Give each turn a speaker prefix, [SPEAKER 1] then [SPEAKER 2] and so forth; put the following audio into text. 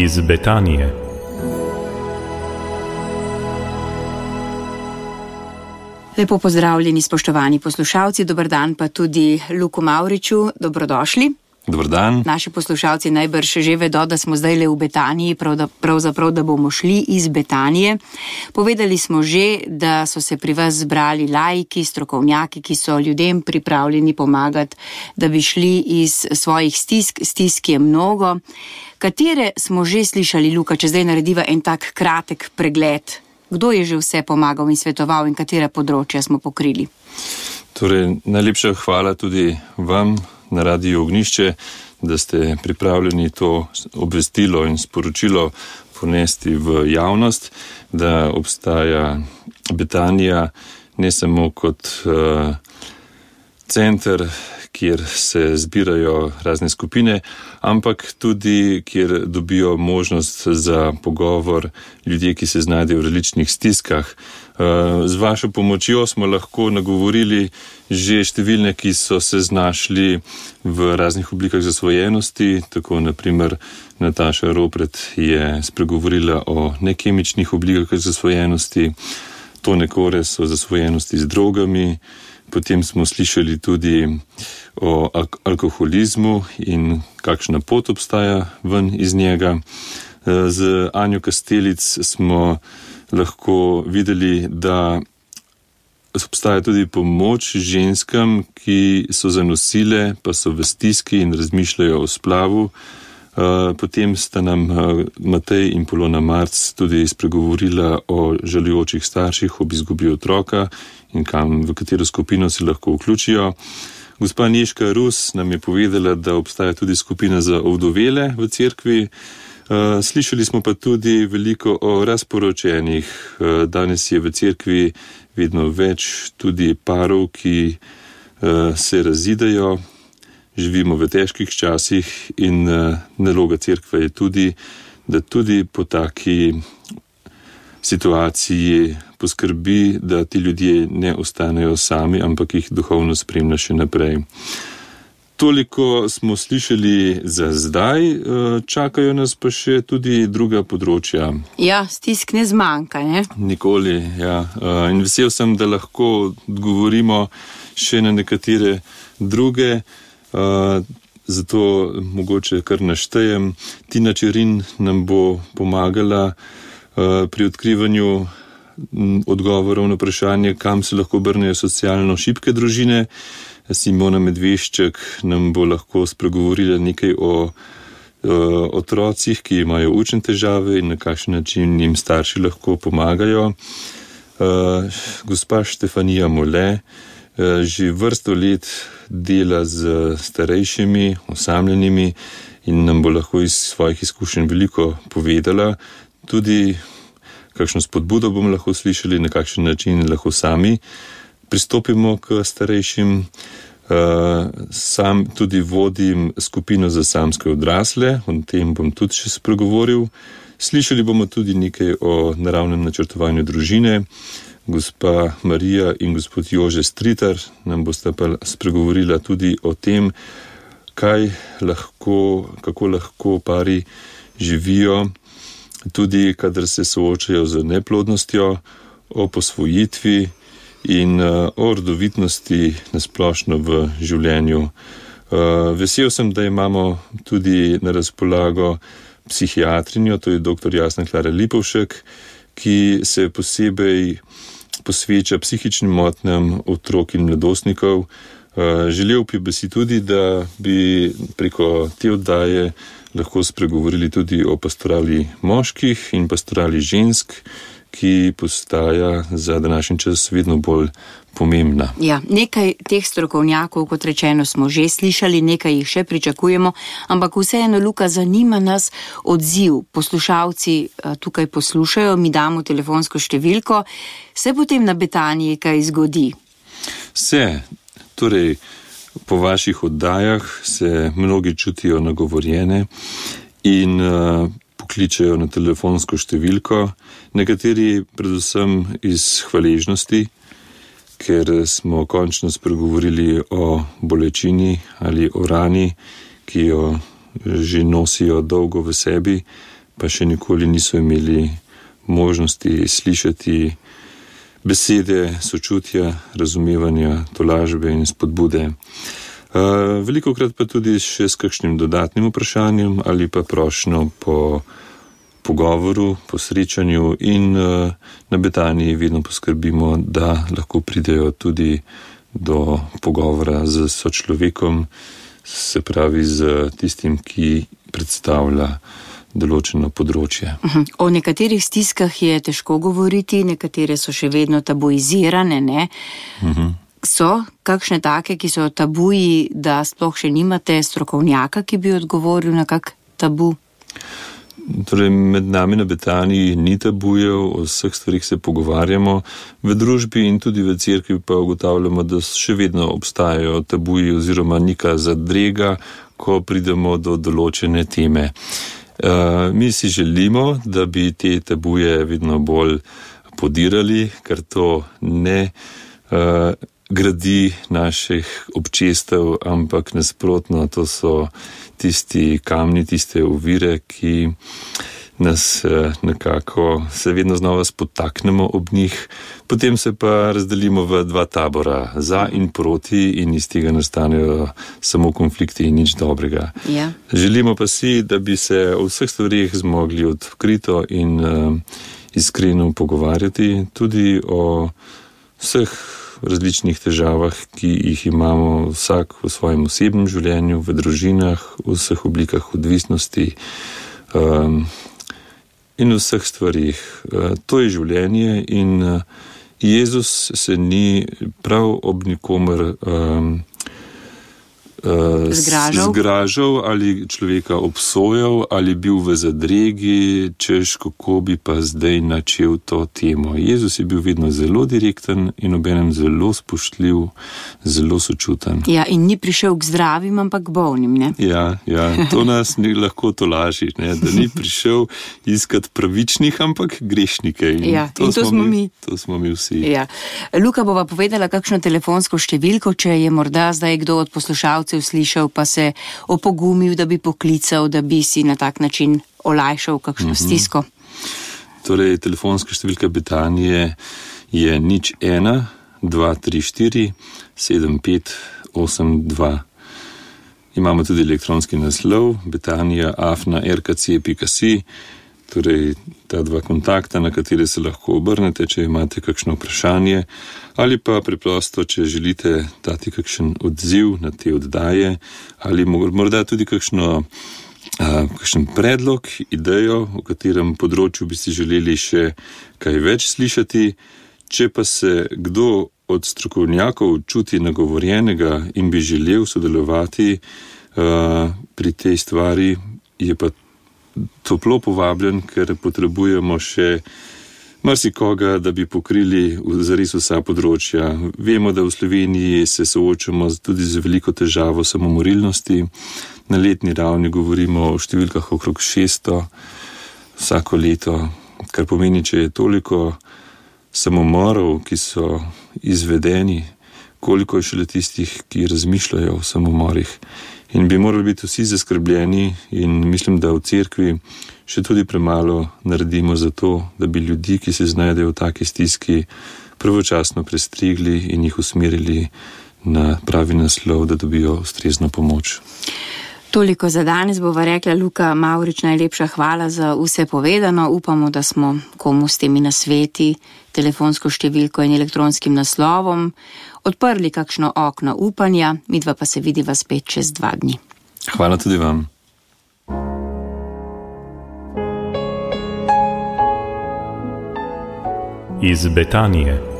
[SPEAKER 1] iz Betanije.
[SPEAKER 2] Lepo pozdravljeni, spoštovani poslušalci, dober dan pa tudi Luku Mavriču, dobrodošli.
[SPEAKER 3] Dobar dan.
[SPEAKER 2] Naši poslušalci najbrž že vedo, da smo zdajle v Betaniji, pravzaprav da bomo šli iz Betanije. Povedali smo že, da so se pri vas zbrali laiki, strokovnjaki, ki so ljudem pripravljeni pomagati, da bi šli iz svojih stisk je mnogo. Katere smo že slišali, Luka, če zdaj narediva en tak kratek pregled? Kdo je že vse pomagal in svetoval in katera področja smo pokrili?
[SPEAKER 3] Torej, najlepša hvala tudi vam na Radiu Ognjišče, da ste pripravljeni to obvestilo in sporočilo ponesti v javnost, da obstaja Betanija ne samo kot center, kjer se zbirajo razne skupine, ampak tudi, kjer dobijo možnost za pogovor ljudje, ki se znajdejo v različnih stiskah. Z vašo pomočjo smo lahko nagovorili že številne, ki so se znašli v raznih oblikah zasvojenosti, tako naprimer Nataša Ropret je spregovorila o nekemičnih oblikah zasvojenosti, Tone Kores o zasvojenosti z drogami, potem smo slišali tudi o alkoholizmu in kakšna pot obstaja ven iz njega. Z Anjo Kastelic smo lahko videli, da obstaja tudi pomoč ženskam, ki so zanosile, pa so v stiski in razmišljajo o splavu. Potem sta nam Matej in Polona Marc tudi spregovorila o žalujočih starših ob izgubi otroka in v katero skupino se lahko vključijo. Gospa Nežka Rus nam je povedala, da obstaja tudi skupina za ovdovele v cerkvi. Slišali smo pa tudi veliko o razporočenih. Danes je v cerkvi vedno več tudi parov, ki se razidejo. Živimo v težkih časih in naloga cerkve je tudi, da tudi po taki situaciji poskrbi, da ti ljudje ne ostanejo sami, ampak jih duhovno spremlja še naprej. Toliko smo slišali za zdaj, čakajo nas pa še tudi druga področja.
[SPEAKER 2] Ja, stisk ne zmanjka, ne?
[SPEAKER 3] Nikoli, ja. In vesel sem, da lahko odgovorimo še na nekatere druge, zato mogoče kar naštejem. Tina Čerin nam bo pomagala pri odkrivanju odgovorov na vprašanje, kam se lahko obrnejo socialno šibke družine. Simona Medvešček nam bo lahko spregovorila nekaj o otrocih, ki imajo učne težave in na kakšen način jim starši lahko pomagajo. Gospa Štefanija Mole že vrsto let dela z starejšimi, osamljenimi in nam bo lahko iz svojih izkušenj veliko povedala. Tudi kakšno spodbudo bomo lahko slišali, na kakšen način lahko sami pristopimo k starejšim. Sam tudi vodim skupino za samske odrasle, o tem bom tudi še spregovoril. Slišali bomo tudi nekaj o naravnem načrtovanju družine. Gospa Marija in gospod Jože Stritar nam bosta pa spregovorila tudi o tem, kako lahko pari živijo, tudi kadar se soočajo z neplodnostjo, o posvojitvi in o rodovitnosti nasplošno v življenju. Vesel sem, da imamo tudi na razpolago psihiatrinjo, to je dr. Jasna Klara Lipovšek, ki se posebej posveča psihičnim motnjam otrok in mladostnikov. Želel bi si tudi, da bi preko te oddaje lahko spregovorili tudi o pastorali moških in pastorali žensk, ki postaja za današnji čas vedno bolj pomembna.
[SPEAKER 2] Ja, nekaj teh strokovnjakov, kot rečeno, smo že slišali, nekaj jih še pričakujemo, ampak vseeno, Luka, zanima nas odziv. Poslušalci tukaj poslušajo, mi damo telefonsko številko. Se potem na Betaniji kaj zgodi?
[SPEAKER 3] Se, torej po vaših oddajah se mnogi čutijo nagovorjene in pokličejo na telefonsko številko, nekateri predvsem iz hvaležnosti, ker smo končno spregovorili o bolečini ali o rani, ki jo že nosijo dolgo v sebi, pa še nikoli niso imeli možnosti slišati besede sočutja, razumevanja, tolažbe in spodbude. Velikokrat pa tudi še s kakšnim dodatnim vprašanjem ali pa prošnjo po pogovoru, po srečanju in na Betaniji vedno poskrbimo, da lahko pridejo tudi do pogovora z sočlovekom, se pravi z tistim, ki predstavlja določeno področje.
[SPEAKER 2] O nekaterih stiskah je težko govoriti, nekatere so še vedno tabuizirane, ne? So kakšne take, ki so tabuji, da sploh še nimate strokovnjaka, ki bi odgovoril na kak tabu?
[SPEAKER 3] Torej, med nami na Betaniji ni tabujev, o vseh stvarih se pogovarjamo, v družbi in tudi v cerkvi pa ugotavljamo, da še vedno obstajajo tabuji oziroma neka zadrega, ko pridemo do določene teme. Mi si želimo, da bi te tabuje vedno bolj podirali, ker to ne gradi naših občestev, ampak nasprotno, to so tisti kamni, tiste ovire, ki nas nekako se vedno znova spotaknemo ob njih, potem se pa razdelimo v dva tabora, za in proti, in iz tega nastanejo samo konflikti in nič dobrega.
[SPEAKER 2] Ja.
[SPEAKER 3] Želimo pa si, da bi se o vseh stvarih zmogli odkrito in iskreno pogovarjati, tudi o vseh različnih težavah, ki jih imamo vsak v svojem osebnem življenju, v družinah, v vseh oblikah odvisnosti in v vseh stvarih. To je življenje in Jezus se ni prav ob nikomer zgražal ali človeka obsojal ali bil v zadregi, češ kako bi pa zdaj načel to temo. Jezus je bil vedno zelo direkten in obenem zelo spoštljiv, zelo sočuten.
[SPEAKER 2] Ja, in ni prišel k zdravim, ampak k bolnim, ne?
[SPEAKER 3] Ja, to nas ni lahko tolaži, ne? Da ni prišel iskat pravičnih, ampak grešnike.
[SPEAKER 2] In to smo mi.
[SPEAKER 3] To smo mi vsi.
[SPEAKER 2] Ja. Luka bova povedala kakšno telefonsko številko, če je morda zdaj kdo od poslušalcev slišal, pa se opogumil, da bi poklical, da bi si na tak način olajšal kakšno stisko.
[SPEAKER 3] Torej, telefonska številka Betanije je 01 234 7582. Imamo tudi elektronski naslov betanija@rkc.si. Torej, ta dva kontakta, na katere se lahko obrnete, če imate kakšno vprašanje, ali pa preprosto, če želite dati kakšen odziv na te oddaje, ali morda tudi kakšen predlog, idejo, o katerem področju bi si želeli še kaj več slišati. Če pa se kdo od strokovnjakov čuti nagovorjenega in bi želel sodelovati pri tej stvari, je pa toplo povabljen, ker potrebujemo še marsikoga, da bi pokrili zares vsa področja. Vemo, da v Sloveniji se soočamo tudi z veliko težavo samomorilnosti. Na letni ravni govorimo o številkah okrog 600 vsako leto, kar pomeni, če je toliko samomorov, ki so izvedeni, koliko je šele tistih, ki razmišljajo o samomorih. In bi morali biti vsi zaskrbljeni in mislim, da v cerkvi še tudi premalo naredimo za to, da bi ljudi, ki se znajdejo v taki stiski, pravočasno prestrigli in jih usmerili na pravi naslov, da dobijo ustrezno pomoč.
[SPEAKER 2] Toliko za danes bova rekla. Luka Mavrič, najlepša hvala za vse povedano. Upamo, da smo komu s temi nasveti, telefonsko številko in elektronskim naslovom odprli kakšno okno upanja, midva pa se vidiva spet čez 2 dni.
[SPEAKER 3] Hvala tudi vam.
[SPEAKER 1] Iz Betanije.